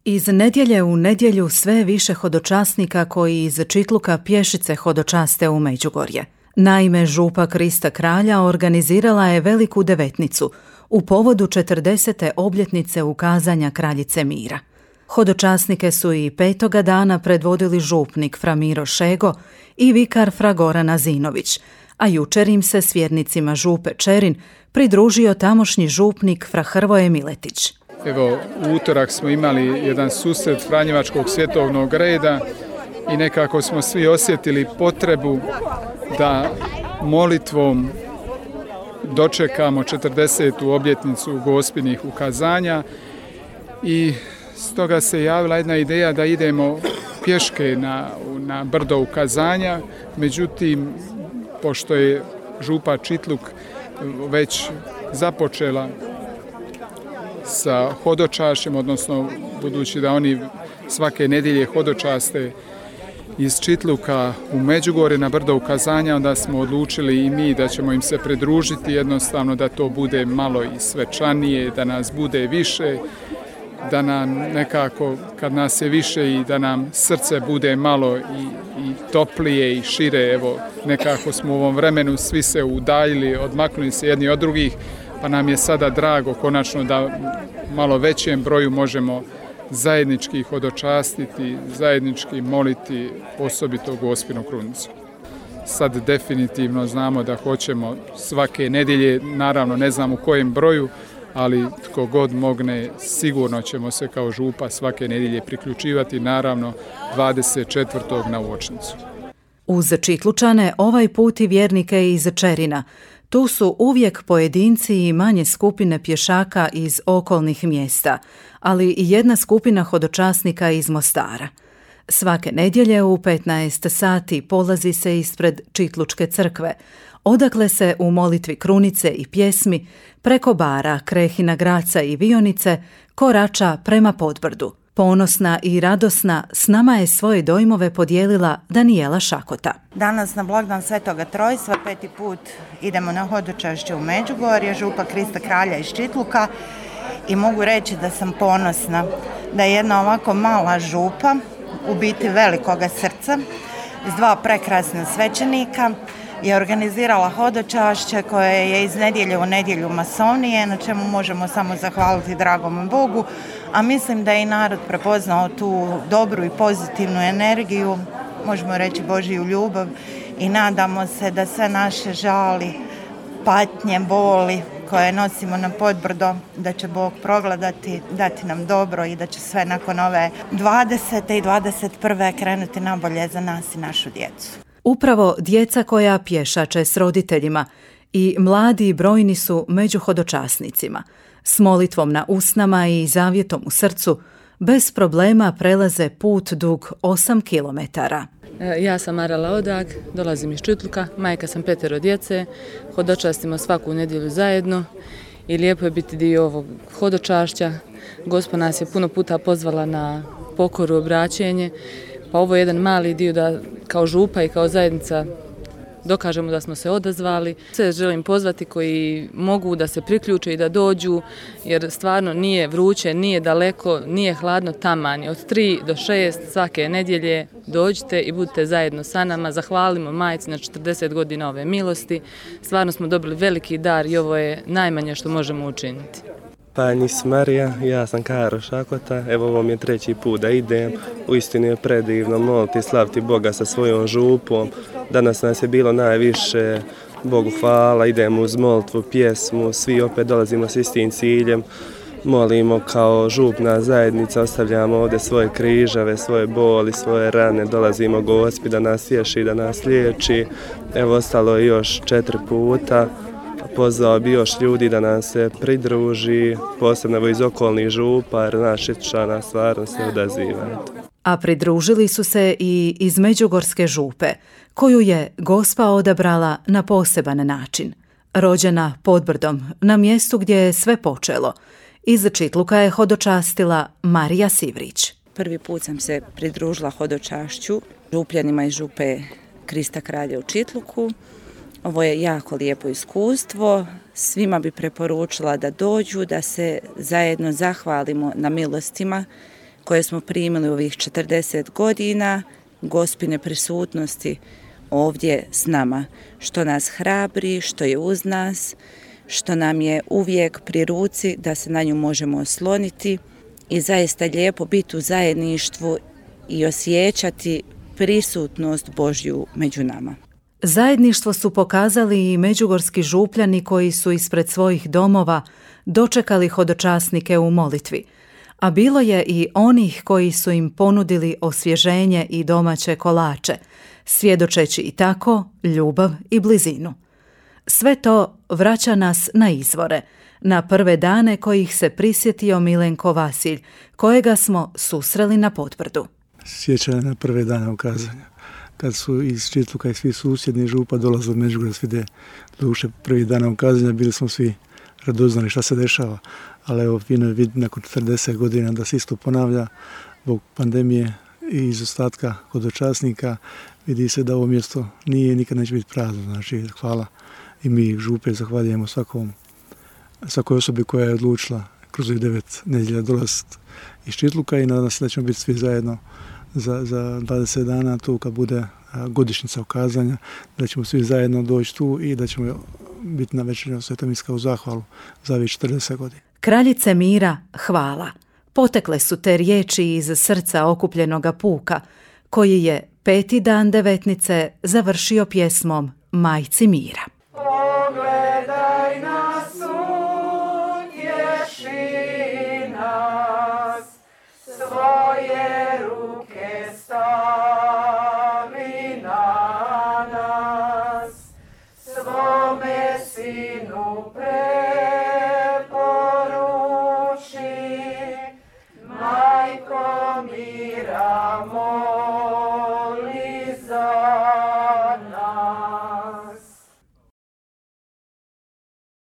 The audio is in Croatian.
Iz nedjelje u nedjelju sve je više hodočasnika koji iz Čitluka pješice hodočaste u Međugorje. Naime, župa Krista Kralja organizirala je veliku devetnicu u povodu 40. obljetnice ukazanja Kraljice mira. Hodočasnike su i 5. dana predvodili župnik fra Miro Šego i vikar fra Goran Azinović, a jučer im se s vjernicima župe Čerin pridružio tamošnji župnik fra Hrvoje Miletić. Evo, u utorak smo imali jedan susret Franjevačkog svjetovnog reda i nekako smo svi osjetili potrebu da molitvom dočekamo 40. obljetnicu Gospinih ukazanja i stoga se javila jedna ideja da idemo pješke na brdo ukazanja, međutim, pošto je župa Čitluk već započela sa hodočašćem, odnosno budući da oni svake nedjelje hodočaste iz Čitluka u Međugorje na brdo ukazanja, onda smo odlučili i mi da ćemo im se pridružiti, jednostavno da to bude malo i svečanije, da nas bude više, da nam nekako, kad nas je više i da nam srce bude malo i toplije i šire. Evo, nekako smo u ovom vremenu svi se udaljili, odmaknuli se jedni od drugih, pa nam je sada drago konačno da malo većem broju možemo zajednički hodočastiti, zajednički moliti osobito Gospinu krunicu. Sad definitivno znamo da hoćemo svake nedjelje, naravno ne znam u kojem broju, ali tko god mogne, sigurno ćemo se kao župa svake nedjelje priključivati, naravno 24. na uočnicu. Uz Čitlučane ovaj put i vjernike iz Čerina. Tu su uvijek pojedinci i manje skupine pješaka iz okolnih mjesta, ali i jedna skupina hodočasnika iz Mostara. Svake nedjelje u 15 sati polazi se ispred Čitlučke crkve, odakle se u molitvi krunice i pjesmi preko bara, Krehina Graca i Vionice korača prema Podbrdu. Ponosna i radosna s nama je svoje dojmove podijelila Danijela Šakota. Danas na blagdan Svetoga Trojstva 5. put idemo na hodočašće u Međugorje, župa Krista Kralja iz Čitluka, i mogu reći da sam ponosna da je jedna ovako mala župa, u biti velikoga srca, s 2 prekrasna svećenika, je organizirala hodočašće koje je iz nedjelje u nedjelju masovnije, na čemu možemo samo zahvaliti dragom Bogu, a mislim da je i narod prepoznao tu dobru i pozitivnu energiju, možemo reći Božju ljubav, i nadamo se da sve naše žali, patnje, boli koje nosimo na Podbrdo, da će Bog progledati, dati nam dobro i da će sve nakon ove 20. i 21. krenuti nabolje za nas i našu djecu. Upravo djeca koja pješače s roditeljima i mladi i brojni su među hodočasnicima. S molitvom na usnama i zavjetom u srcu bez problema prelaze put dug 8 kilometara. Ja sam Marala Odag, dolazim iz Čitluka, majka sam 5 djece, hodočastimo svaku nedjelju zajedno i lijepo je biti dio ovog hodočašća. Gospod nas je puno puta pozvala na pokoru, obraćenje, pa ovo je jedan mali dio da kao župa i kao zajednica dokažemo da smo se odazvali. Sve želim pozvati koji mogu da se priključe i da dođu, jer stvarno nije vruće, nije daleko, nije hladno, taman je. Od 3 do 6 svake nedjelje dođite i budite zajedno sa nama. Zahvalimo majci na 40 godina ove milosti. Stvarno smo dobili veliki dar i ovo je najmanje što možemo učiniti. Panjis Marija, ja sam Karo Šakota, evo ovo mi je 3. put da idem, uistinu je predivno moliti i slaviti Boga sa svojom župom. Danas nas je bilo najviše, Bogu hvala, idemo uz molitvu, pjesmu, svi opet dolazimo s istim ciljem, molimo kao župna zajednica, ostavljamo ovdje svoje križave, svoje boli, svoje rane, dolazimo Gospi da nas tješi, da nas liječi. Evo ostalo je još 4 puta. Pozvao bi još ljudi da nam se pridruži, posebno iz okolnih župa, jer naš Čitlučana stvarno se odaziva. A pridružili su se i iz Međugorske župe, koju je Gospa odabrala na poseban način. Rođena Podbrdom, na mjestu gdje je sve počelo, iz Čitluka je hodočastila Marija Sivrić. Prvi put sam se pridružila hodočašću župljanima iz župe Krista Kralja u Čitluku. Ovo je jako lijepo iskustvo, svima bi preporučila da dođu, da se zajedno zahvalimo na milostima koje smo primili u ovih 40 godina, Gospine prisutnosti ovdje s nama, što nas hrabri, što je uz nas, što nam je uvijek pri ruci da se na nju možemo osloniti i zaista lijepo biti u zajedništvu i osjećati prisutnost Božju među nama. Zajedništvo su pokazali i međugorski župljani koji su ispred svojih domova dočekali hodočasnike u molitvi, a bilo je i onih koji su im ponudili osvježenje i domaće kolače, svjedočeći i tako ljubav i blizinu. Sve to vraća nas na izvore, na prve dane kojih se prisjetio Milenko Vasilj, kojega smo susreli na Potvrdu. Sjećanje na prve dane ukazanja, kad su iz Čitluka i svi susjedni župa dolazili u Međugorje svide. Duše prvih dana ukazanja bili smo svi radoznali šta se dešava, ali evo fino je vidjeti nakon 40 godina da se isto ponavlja zbog pandemije i izostatka hodočasnika. Vidi se da ovo mjesto nije i nikad neće biti prazno. Znači, hvala i mi župe zahvaljujemo svakoj osobi koja je odlučila kroz 9 nedjelja dolaziti iz Čitluka i nadam se da ćemo biti svi zajedno za 20 dana tu kad bude godišnjica ukazanja, da ćemo svi zajedno doći tu i da ćemo biti na večernju Svetom Iskazu zahvalu za ovih 40 godina. Kraljice mira, hvala. Potekle su te riječi iz srca okupljenoga puka, koji je 5. dan devetnice završio pjesmom Majci mira. Pogledaj nas, utješi nas, svoje ruke stavi na nas, svome sinu preporuči, majko mira moja.